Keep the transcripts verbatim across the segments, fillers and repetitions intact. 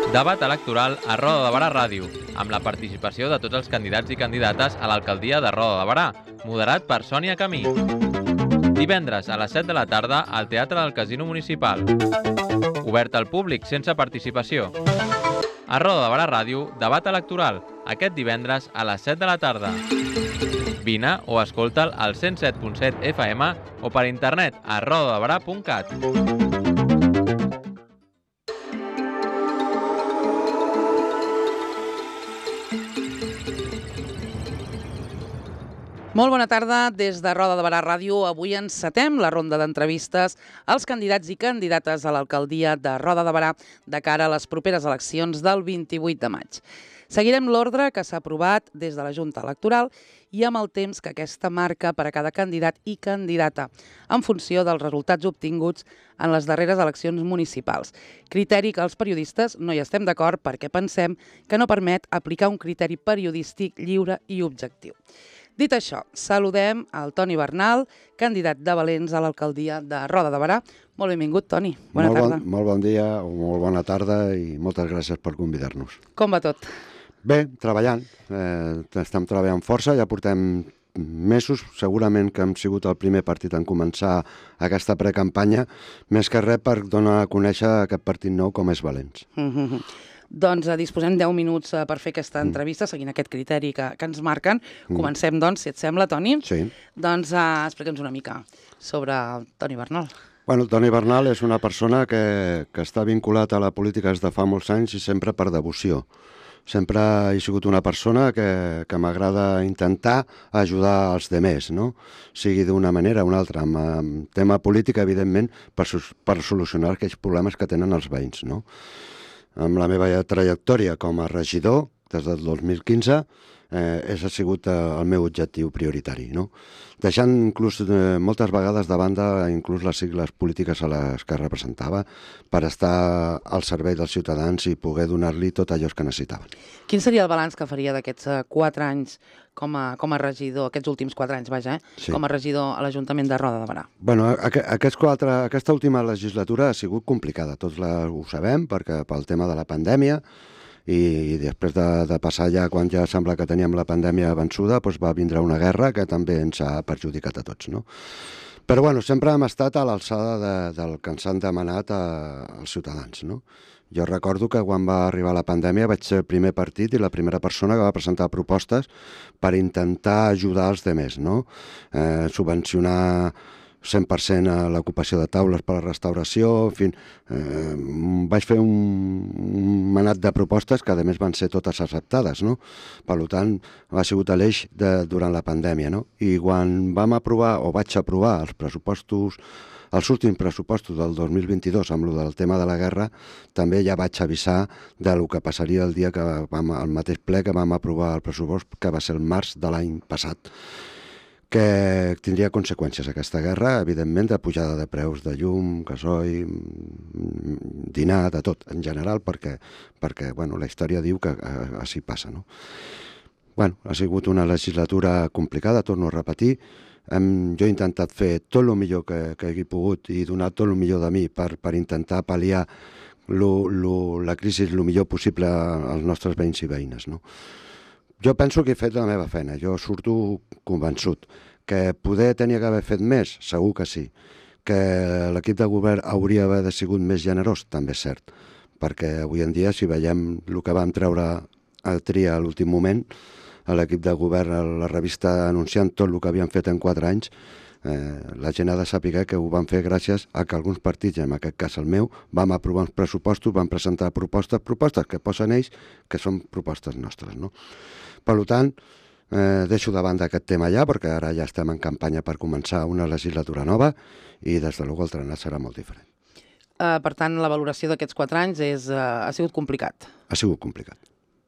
Debat electoral a Roda de Barà Ràdio, amb la participació de tots els candidats i candidates a l'alcaldia de Roda de Barà, moderat per Sònia Camí. Divendres a les set de la tarda al Teatre del Casino Municipal. Obert al públic sense participació. A Roda de Barà Ràdio, debat electoral, aquest divendres a les set de la tarda. Vine o escolta'l al cent set punt set F M o per internet a rodadebarà punt cat. Molt bona tarda. Des de Roda de Barà Ràdio, avui encetem la ronda d'entrevistes als candidats i candidates a l'alcaldia de Roda de Barà de cara a les properes eleccions del vint-i-vuit de maig. Seguirem l'ordre que s'ha aprovat des de la Junta Electoral i amb el temps que aquesta marca per a cada candidat i candidata, en funció dels resultats obtinguts en les darreres eleccions municipals. Criteri que els periodistes no hi estem d'acord perquè pensem que no permet aplicar un criteri periodístic lliure i objectiu. Dit això, saludem al Toni Bernal, candidat de Valens a l'alcaldia de Roda de Barà. Molt benvingut, Toni. Bona molt tarda. Bon, molt bon dia o molt bona tarda i moltes gràcies per convidar-nos. Com va tot? Bé, treballant. Eh, estem treballant força, ja portem mesos. Segurament que hem sigut el primer partit en començar aquesta precampanya, més que res per donar a conèixer aquest partit nou com és Valens. Mm-hmm. Doncs disposem deu minuts per fer aquesta entrevista, seguint aquest criteri que, que ens marquen. Comencem, doncs, si et sembla, Toni. Sí. Doncs uh, explica'ns una mica sobre el Toni Bernal. Bueno, el Toni Bernal és una persona que, que està vinculat a la política des de fa molts anys i sempre per devoció. Sempre he sigut una persona que, que m'agrada intentar ajudar els demés, no? Sigui d'una manera o una altra, amb, amb tema política, evidentment, per, per solucionar aquells problemes que tenen els veïns, no? Amb la meva trajectòria com a regidor, des del dos mil quinze, eh, és ha sigut eh, el meu objectiu prioritari, no? Deixant inclús eh, moltes vegades de banda inclús les sigles polítiques a les que representava per estar al servei dels ciutadans i poder donar-li tot allò que necessitaven. Quin seria el balanç que faria d'aquests uh, quatre anys com a, com a regidor, aquests últims quatre anys, vaja, eh? Sí. Com a regidor a l'Ajuntament de Roda de Barà? Bueno, aqu aquests quatre, aquesta última legislatura ha sigut complicada, tots la, ho sabem, perquè pel tema de la pandèmia, i després de, de passar ja, quan ja sembla que teníem la pandèmia vençuda, doncs va vindre una guerra que també ens ha perjudicat a tots, no? Però bueno, sempre hem estat a l'alçada de, del que ens han demanat a, als ciutadans, no? Jo recordo que quan va arribar la pandèmia vaig ser el primer partit i la primera persona que va presentar propostes per intentar ajudar els demés, no? Eh, subvencionar cent per cent a l'ocupació de taules per a la restauració, en fi, eh, vaig fer un, un manat de propostes que a més van ser totes acceptades, no? Per tant, ha sigut l'eix de, durant la pandèmia, no? I quan vam aprovar, o vaig aprovar els pressupostos, els últims pressupostos del dos mil vint-i-dos amb el del tema de la guerra, també ja vaig avisar del que passaria el dia que vam, el mateix ple que vam aprovar el pressupost, que va ser el març de l'any passat, que tindria conseqüències aquesta guerra, evidentment, de pujada de preus de llum, gasoil, dinar, de tot, en general, perquè, perquè bueno, la història diu que eh, així passa, no? Bueno, ha sigut una legislatura complicada, torno a repetir. Hem, jo he intentat fer tot el millor que, que he pogut i donar tot el millor de mi per, per intentar pal·liar lo, lo, la crisi el millor possible als nostres veïns i veïnes, no? Jo penso que he fet la meva feina, jo surto convençut. Que poder tenia que haver fet més? Segur que sí. Que l'equip de govern hauria d'haver sigut més generós? També és cert. Perquè avui en dia, si veiem el que vam treure a tria a l'últim moment, a l'equip de govern, a la revista anunciant tot el que havien fet en quatre anys, eh, la gent ha de saber que ho van fer gràcies a que alguns partits, en aquest cas el meu, vam aprovar uns pressupostos, vam presentar propostes, propostes que posen ells, que són propostes nostres, no? Per tant, eh, deixo de banda aquest tema ja, perquè ara ja estem en campanya per començar una legislatura nova i des de luego el trenat serà molt diferent. Uh, per tant, la valoració d'aquests quatre anys és, uh, ha sigut complicat. Ha sigut complicat.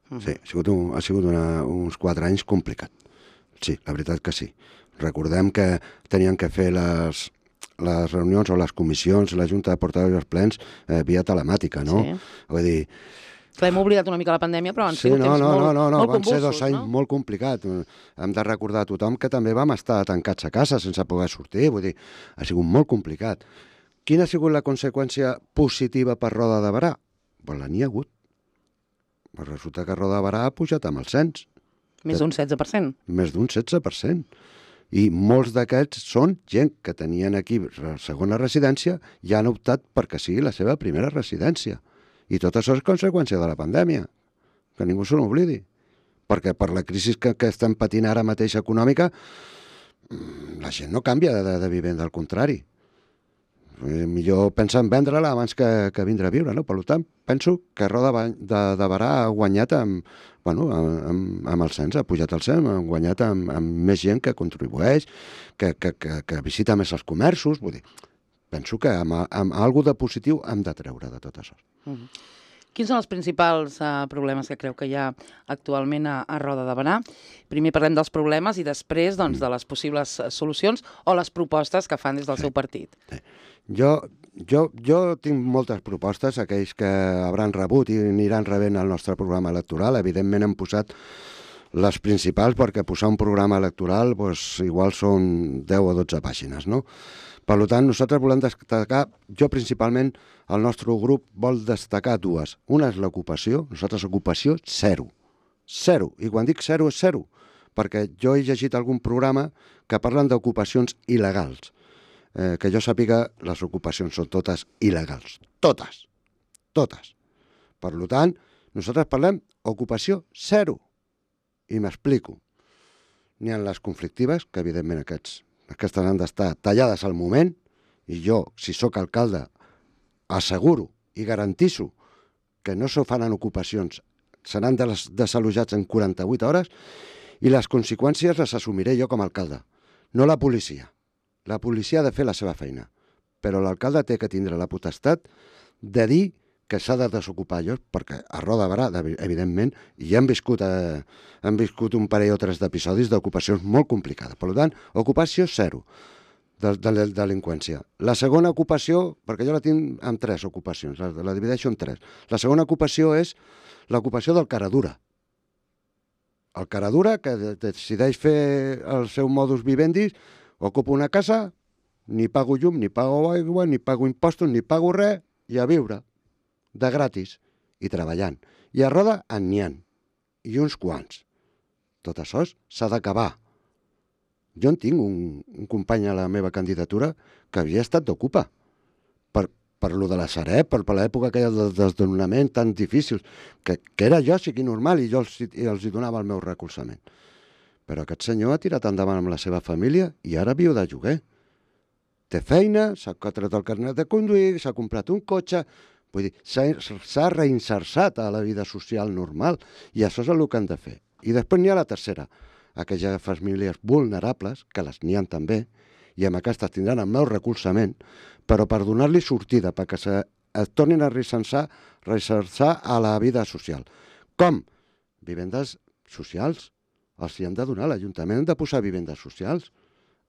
Uh-huh. Sí, ha sigut, un, ha sigut una, uns quatre anys complicat. Sí, la veritat que sí. Recordem que tenien que fer les, les reunions o les comissions, la Junta de Portaveus i els plens eh, via telemàtica, no? Sí. Vull dir, Que hem oblidat una mica la pandèmia, però han sí, sigut no, temps no, molt, no, no, no, molt van convulsos, ser dos anys no? molt complicats. Hem de recordar a tothom que també vam estar tancats a casa sense poder sortir, vull dir, ha sigut molt complicat. Quina ha sigut la conseqüència positiva per Roda de Barà? Pues la n'hi ha hagut. Pues resulta que Roda de Barà ha pujat amb el cens. Més d'un setze per cent. Més d'un setze per cent. I molts d'aquests són gent que tenien aquí segona residència i han optat perquè sigui la seva primera residència. I tot això és conseqüència de la pandèmia, que ningú se n'oblidi. Perquè per la crisi que, que estem patint ara mateix econòmica, la gent no canvia de, de vivenda, al contrari. Millor pensa en vendre-la abans que, que vindre a viure, no? Per tant, penso que Roda de, de Barà ha guanyat amb, bueno, amb, amb el cens, ha pujat el cens, ha guanyat amb, amb més gent que contribueix, que, que, que, que visita més els comerços, vull dir, penso que amb, amb alguna de positiu hem de treure de tot això. Mm-hmm. Quins són els principals uh, problemes que creu que hi ha actualment a, a Roda de Barà? Primer parlem dels problemes i després doncs, de les possibles solucions o les propostes que fan des del sí. seu partit. Sí. Jo, jo, jo tinc moltes propostes, aquells que hauran rebut i aniran rebent el nostre programa electoral. Evidentment hem posat les principals perquè posar un programa electoral doncs, igual són deu o dotze pàgines, no? Per tant, nosaltres volem destacar, jo principalment, el nostre grup vol destacar dues. Una és l'ocupació, nosaltres ocupació zero. Zero. I quan dic zero és zero, perquè jo he llegit algun programa que parlen d'ocupacions il·legals. Eh, que jo sàpiga, les ocupacions són totes il·legals. Totes. Totes. Per tant, nosaltres parlem ocupació zero. I m'explico. N'hi ha les conflictives, que evidentment aquests Aquestes han d'estar tallades al moment, i jo, si sóc alcalde, asseguro i garantisso que no se faran ocupacions, seran des desallotjats en quaranta-vuit hores, i les conseqüències les assumiré jo com a alcalde, no la policia. La policia ha de fer la seva feina, però l'alcalde té que tindre la potestat de dir que s'ha de desocupar allò, perquè a Roda de Barà, evidentment, hi hem viscut, eh, hem viscut un parell o tres d'episodis d'ocupacions molt complicades. Per tant, ocupació zero de, de la delinqüència. La segona ocupació, perquè jo la tinc en tres ocupacions, la, la divideixo en tres. La segona ocupació és l'ocupació del caradura. El caradura, que decideix fer el seu modus vivendi, ocupa una casa, ni pago llum, ni pago aigua, ni pago impostos, ni pago res, i a viure. De gratis, i treballant. I a Roda en n'hi ha, i uns quants. Tot això s'ha d'acabar. Jo en tinc un, un company a la meva candidatura que havia estat d'ocupa. Per, per lo de la Sareb, per, per l'època aquella del desnonament tan difícil, que, que era jo, sigui normal, i jo els, i els hi donava el meu recolzament. Però aquest senyor ha tirat endavant amb la seva família i ara viu de lloguer. Té feina, s'ha tret el carnet de conduir, s'ha comprat un cotxe. Vull dir, s'ha reinserçat a la vida social normal, i això és el que han de fer. I després n'hi ha la tercera, aquelles famílies vulnerables, que les n'hi ha també, i amb aquestes tindran el meu recolzament, però per donar-li sortida, perquè se, es tornin a reinserçar, reinserçar a la vida social. Com? Vivendes socials. Els hi han de donar, l'Ajuntament han de posar vivendes socials.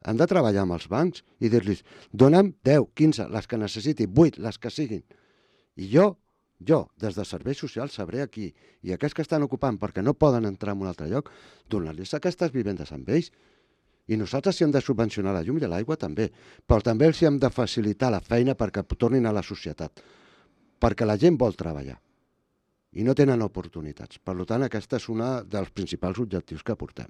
Han de treballar amb els bancs i dir-los, dona'm deu, quinze, les que necessiti, vuit, les que siguin. I jo, jo, des de serveis socials, sabré aquí, i aquests que estan ocupant perquè no poden entrar en un altre lloc, donar-los aquestes vivendes amb ells. I nosaltres si hem de subvencionar la llum i l'aigua també, però també els hem de facilitar la feina perquè tornin a la societat, perquè la gent vol treballar i no tenen oportunitats. Per tant, aquest és un dels principals objectius que portem.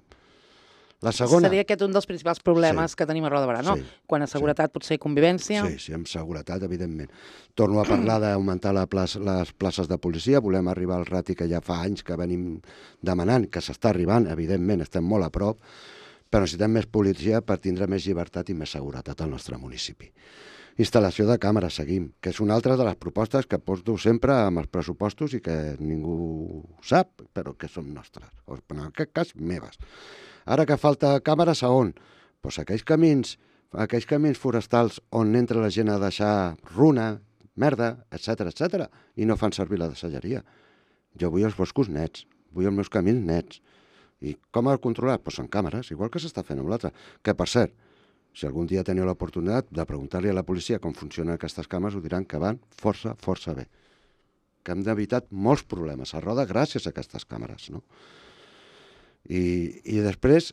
La segona... Seria aquest un dels principals problemes sí. que tenim a Roda de Barà, no? Sí. Quan a seguretat sí. potser convivència... Sí, sí, amb seguretat, evidentment. Torno a parlar d'augmentar la plaça, les places de policia, volem arribar al rati que ja fa anys que venim demanant, que s'està arribant, evidentment, estem molt a prop, però necessitem més policia per tindre més llibertat i més seguretat al nostre municipi. Instal·lació de càmeres, seguim, que és una altra de les propostes que porto sempre amb els pressupostos i que ningú sap, però que són nostres, o en aquest cas meves. Ara que falta càmeres, a on? Doncs aquells camins, aquells camins forestals on entra la gent a deixar runa, merda, etcètera, etcètera, i no fan servir la deixalleria. Jo vull els boscos nets, vull els meus camins nets. I com ha controlat? Doncs amb càmeres, igual que s'està fent amb l'altre. Que, per cert, si algun dia teniu l'oportunitat de preguntar-li a la policia com funcionen aquestes càmeres, ho diran que van força, força bé. Que hem evitat molts problemes a Roda gràcies a aquestes càmeres, no? I, i després,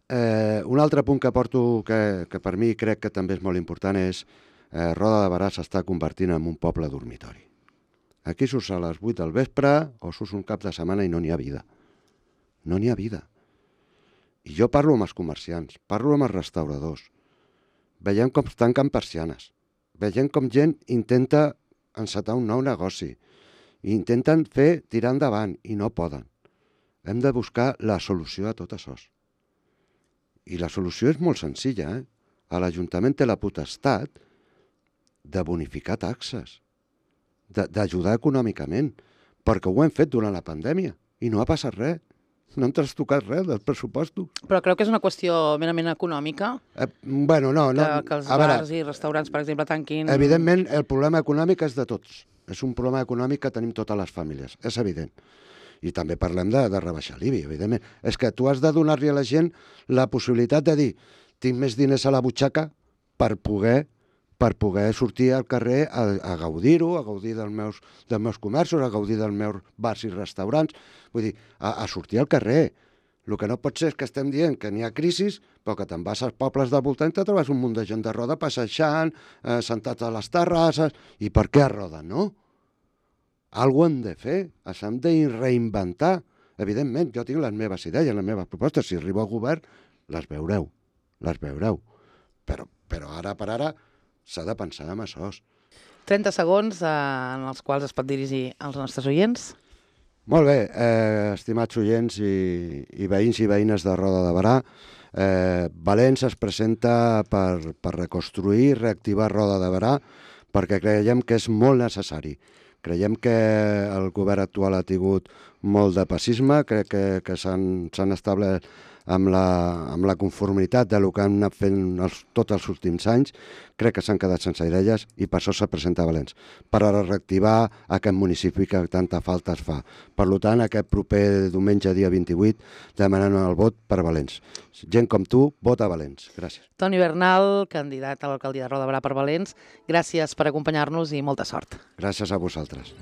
eh, un altre punt que porto que, que per mi crec que també és molt important és eh, Roda de Barà s'està convertint en un poble dormitori. Aquí surts a les vuit del vespre o surts un cap de setmana i no n'hi ha vida. No n'hi ha vida. I jo parlo amb els comerciants, parlo amb els restauradors. Veiem com tanquen persianes. Veiem com gent intenta encetar un nou negoci. I intenten fer tirar endavant i no poden. Hem de buscar la solució a tot això. I la solució és molt senzilla, eh? L'Ajuntament té la potestat de bonificar taxes, d'ajudar econòmicament, perquè ho hem fet durant la pandèmia i no ha passat res. No hem trastocat res dels pressupostos. Però creu que és una qüestió merament econòmica? Eh, bueno, no, no. Que, que els a veure, bars i restaurants, per exemple, tanquin... Evidentment, el problema econòmic és de tots. És un problema econòmic que tenim totes les famílies, és evident. I també parlem de, de rebaixar l'I B I, evidentment. És que tu has de donar-li a la gent la possibilitat de dir tinc més diners a la butxaca per poder per poder sortir al carrer a, a gaudir-ho, a gaudir dels meus, dels meus comerços, a gaudir dels meus bars i restaurants, vull dir, a, a sortir al carrer. El que no pot ser és que estem dient que n'hi ha crisis, però que te'n vas als pobles del voltant i te trobes un munt de gent de roda passejant, eh, sentats a les terrasses, i per què a roda, no? Algo hem de fer, s'han de reinventar. Evidentment, jo tinc les meves idees, les meves propostes, si arribo al govern, les veureu, les veureu. Però, però ara per ara s'ha de pensar en això. trenta segons eh, en els quals es pot dirigir als nostres oients. Molt bé, eh, estimats oients i, i veïns i veïnes de Roda de Berà, eh, Valens es presenta per, per reconstruir i reactivar Roda de Berà perquè creiem que és molt necessari. Creiem que el govern actual ha tingut molt de passisme, crec que, que s'han establert amb la, amb la conformitat del que han anat fent els, tots els últims anys. Crec que s'han quedat sense idees i per això s'ha presentat a Valens, per a reactivar aquest municipi que tanta falta es fa. Per tant, aquest proper diumenge, dia vint-i-vuit, demanant el vot per Valens. Gent com tu, vota Valens. Gràcies. Toni Bernal, candidat a l'alcaldia de Roda de Berà per Valens, gràcies per acompanyar-nos i molta sort. Gràcies a vosaltres.